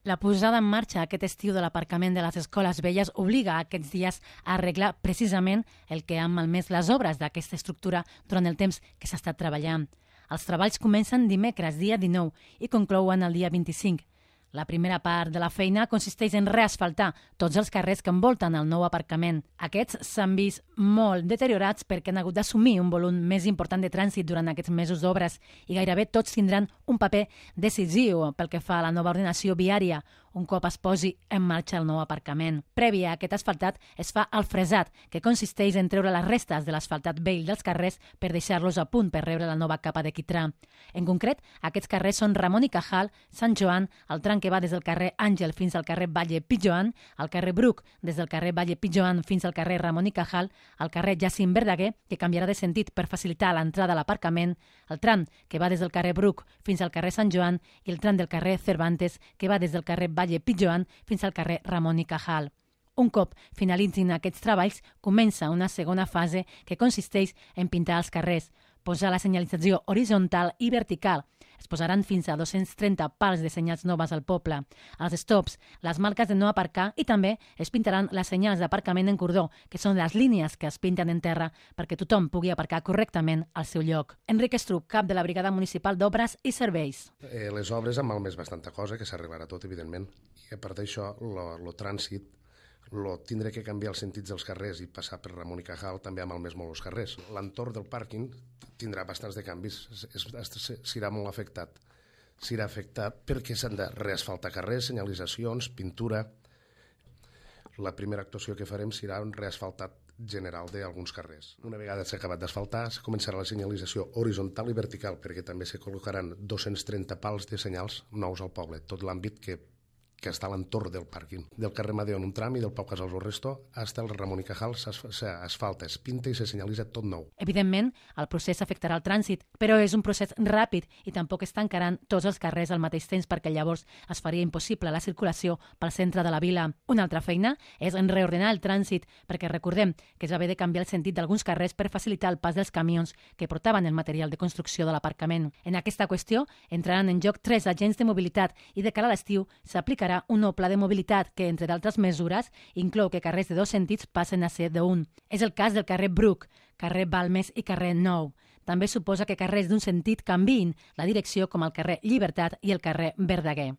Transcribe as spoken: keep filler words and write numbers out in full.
La posada en marxa aquest estiu de l'aparcament de les escoles velles obliga aquests dies a arreglar precisament el que han malmès les obres d'aquesta estructura durant el temps que s'ha estat treballant. Els treballs comencen dimecres, dia dinou, i conclouen el dia vint-i-cinc. La primera part de la feina consisteix en reasfaltar tots els carrers que envolten el nou aparcament. Aquests s'han vist molt deteriorats perquè han hagut d'assumir un volum més important de trànsit durant aquests mesos d'obres i gairebé tots tindran un paper decisiu pel que fa a la nova ordenació viària, un cop es posi en marxa el nou aparcament. Previ a aquest asfaltat es fa el fresat, que consisteix en treure les restes de l'asfaltat vell dels carrers per deixar-los a punt per rebre la nova capa de quitrà. En concret, aquests carrers són Ramon i Cajal, Sant Joan, el tram que va des del carrer Àngel fins al carrer Valle Pijoan, el carrer Bruc des del carrer Valle Pijoan fins al carrer Ramon i Cajal, el carrer Jacint Verdaguer, que canviarà de sentit per facilitar l'entrada a l'aparcament, el tram que va des del carrer Bruc fins al carrer Sant Joan i el tram del carrer Cervantes, que va des del carrer Valle Pijoan fins al carrer Ramon i Cajal. Un cop finalitzin aquests treballs, comença una segona fase que consisteix en pintar els carrers, posar la senyalització horitzontal i vertical. Es posaran fins a dos-cents trenta pals de senyals noves al poble, els stops, les marques de no aparcar i també es pintaran les senyals d'aparcament en cordó, que són les línies que es pinten en terra perquè tothom pugui aparcar correctament al seu lloc. Enric Estruc, cap de la Brigada Municipal d'Obres i Serveis. Eh, les obres han malmès bastanta cosa, que s'arribarà tot, evidentment, i a part d'això, el trànsit, lo tindré que canviar els sentits dels carrers i passar per Ramon i Cajal també ha malmès molt els carrers. L'entorn del pàrquing tindrà bastants de canvis, serà molt afectat. Serà afectat perquè s'han de reasfaltar carrers, senyalitzacions, pintura. La primera actuació que farem serà un reasfaltat general d'alguns carrers. Una vegada s'ha acabat d'asfaltar, començarà la senyalització horitzontal i vertical, perquè també se col·locaran dos-cents trenta pals de senyals nous al poble, tot l'àmbit que que està a l'entorn del pàrquing. Del carrer Madeo en un tram i del Pau Casals al Resto fins al Ramon i Cajal s'asfalta, es pinta i se senyalitza tot nou. Evidentment, el procés afectarà el trànsit, però és un procés ràpid i tampoc es tancaran tots els carrers al mateix temps perquè llavors es faria impossible la circulació pel centre de la vila. Una altra feina és en reordenar el trànsit, perquè recordem que es va haver de canviar el sentit d'alguns carrers per facilitar el pas dels camions que portaven el material de construcció de l'aparcament. En aquesta qüestió entraran en joc tres agents de mobilitat i de cara a l'estiu s'aplicarà un nou pla de mobilitat que, entre d'altres mesures, inclou que carrers de dos sentits passen a ser d'un. És el cas del carrer Bruc, carrer Balmes i carrer Nou. També suposa que carrers d'un sentit canviïn la direcció com el carrer Llibertat i el carrer Verdaguer.